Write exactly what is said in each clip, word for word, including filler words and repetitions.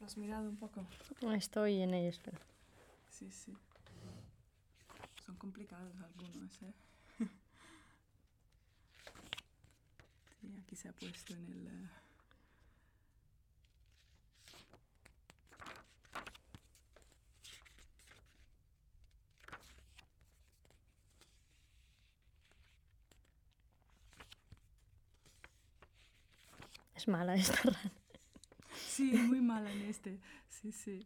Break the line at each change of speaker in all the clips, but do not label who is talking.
¿Lo has mirado un poco?
Estoy en ello, espera.
Sí, sí. Son complicados algunos, ¿eh? Sí, aquí se ha puesto en el... Uh...
Es mala esta rana.
Sí, muy mala en este. Sí, sí.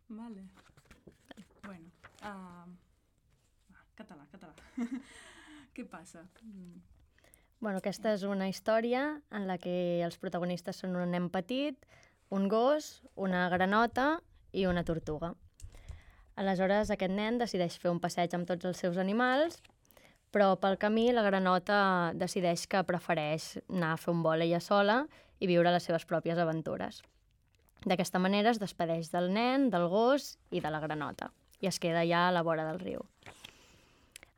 Vale. Bueno. Uh... Català, català. Què passa? Mm.
Bueno, aquesta és una història en la que els protagonistes són un nen petit, un gos, una granota i una tortuga. Aleshores, aquest nen decideix fer un passeig amb tots els seus animals, però pel camí la granota decideix que prefereix anar a fer un vol ella sola i viure les seves pròpies aventures. D'aquesta manera es despedeix del nen, del gos i de la granota i es queda ja a la vora del riu.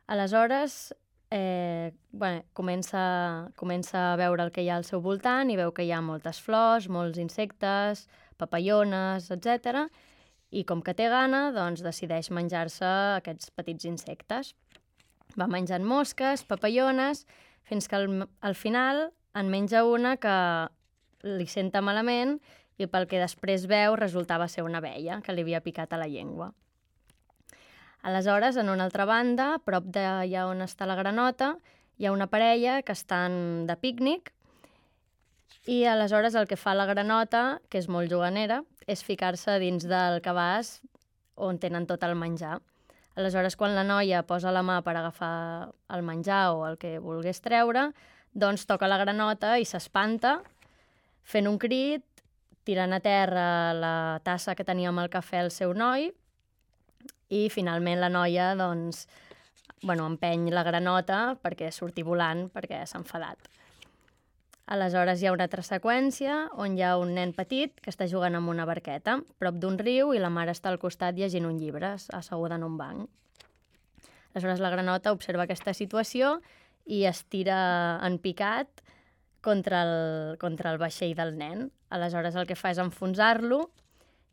Aleshores, eh, bueno, comença, comença a veure el que hi ha al seu voltant i veu que hi ha moltes flors, molts insectes, papallones, etcètera. I com que té gana, doncs decideix menjar-se aquests petits insectes. Va menjant mosques, papallones, fins que al, al final en menja una que li senta malament i pel que després veu resultava ser una abella que li havia picat a la llengua. Aleshores, en una altra banda, a prop d'allà on està la granota, hi ha una parella que estan de pícnic i aleshores el que fa la granota, que és molt juganera, és ficar-se dins del cabàs on tenen tot el menjar. Aleshores, quan la noia posa la mà per agafar el menjar o el que volgués treure, doncs toca la granota i s'espanta, fent un crit, tirant a terra la tassa que tenia amb el cafè el seu noi, i finalment la noia doncs, bueno, empeny la granota perquè surti volant, perquè s'ha enfadat. Aleshores hi ha una altra seqüència on hi ha un nen petit que està jugant amb una barqueta prop d'un riu i la mare està al costat llegint un llibre, asseguda en un banc. Aleshores la granota observa aquesta situació i es tira en picat contra el, contra el vaixell del nen. Aleshores el que fa és enfonsar-lo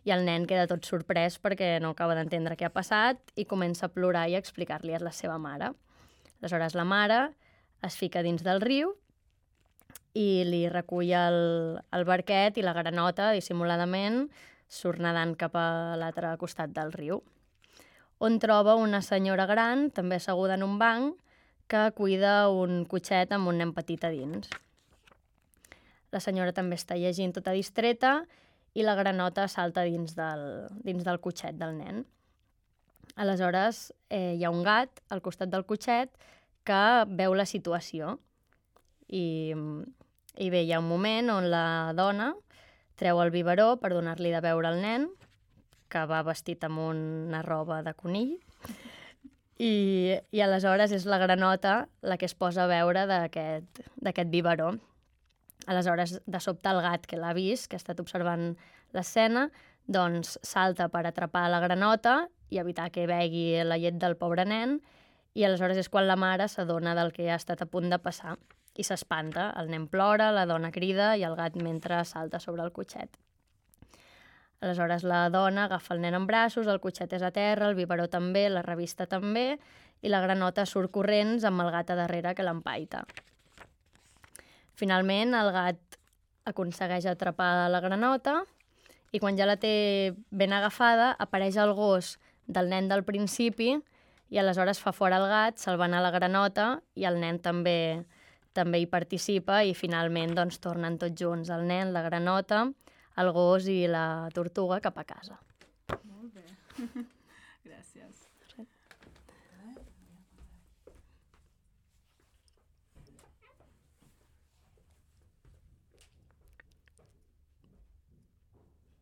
i el nen queda tot sorprès perquè no acaba d'entendre què ha passat i comença a plorar i a explicar-li a la seva mare. Aleshores la mare es fica dins del riu i li recull el, el barquet i la granota, dissimuladament, surt nedant cap a l'altre costat del riu, on troba una senyora gran, també asseguda en un banc, que cuida un cotxet amb un nen petit a dins. La senyora també està llegint tota distreta i la granota salta dins del, dins del cotxet del nen. Aleshores, eh, hi ha un gat al costat del cotxet que veu la situació. I, i bé, hi ha un moment on la dona treu el biberó per donar-li de beure al nen, que va vestit amb una roba de conill, i, i aleshores és la granota la que es posa a beure d'aquest biberó. Aleshores, de sobte, el gat que l'ha vist, que ha estat observant l'escena, doncs salta per atrapar la granota i evitar que begui la llet del pobre nen, i aleshores és quan la mare s'adona del que ha estat a punt de passar i s'espanta. El nen plora, la dona crida i el gat mentre salta sobre el cotxet. Aleshores la dona agafa el nen en braços, el cotxet és a terra, el biberó també, la revista també, i la granota surt corrents amb el gat a darrere que l'empaita. Finalment, el gat aconsegueix atrapar la granota i quan ja la té ben agafada, apareix el gos del nen del principi i aleshores fa fora el gat, se'l va anar la granota i el nen també, també hi participa i finalment doncs, tornen tots junts, el nen, la granota, el gos i la tortuga cap a casa.
Molt bé.